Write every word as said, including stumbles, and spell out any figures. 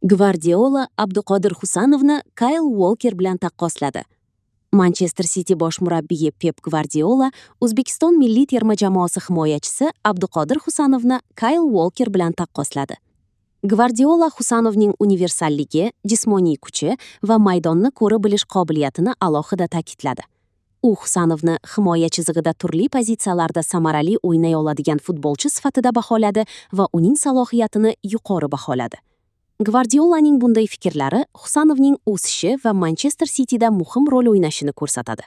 Gvardiola Abduqodir Husanovni Kayl Walker bilan taqqosladi. Manchester City bosh murabbiyi Pep Gvardiola O'zbekiston milliy terma jamoasi himoyachisi Abduqodir Husanovni Kayl Walker bilan taqqosladi. Gvardiola Husanovning universalligi, jismoniy kuchi va maydonni ko'ra bilish qobiliyatini alohida ta'kidladi. U Husanovni himoya chizig'ida turli pozitsiyalarda samarali o'ynay oladigan futbolchi sifatida baholadi va uning salohiyatini yuqori baholadi. Gvardiolaning bunday fikrlari Husanovning o'sishi va Manchester Cityda muhim rol o'ynashini ko'rsatadi.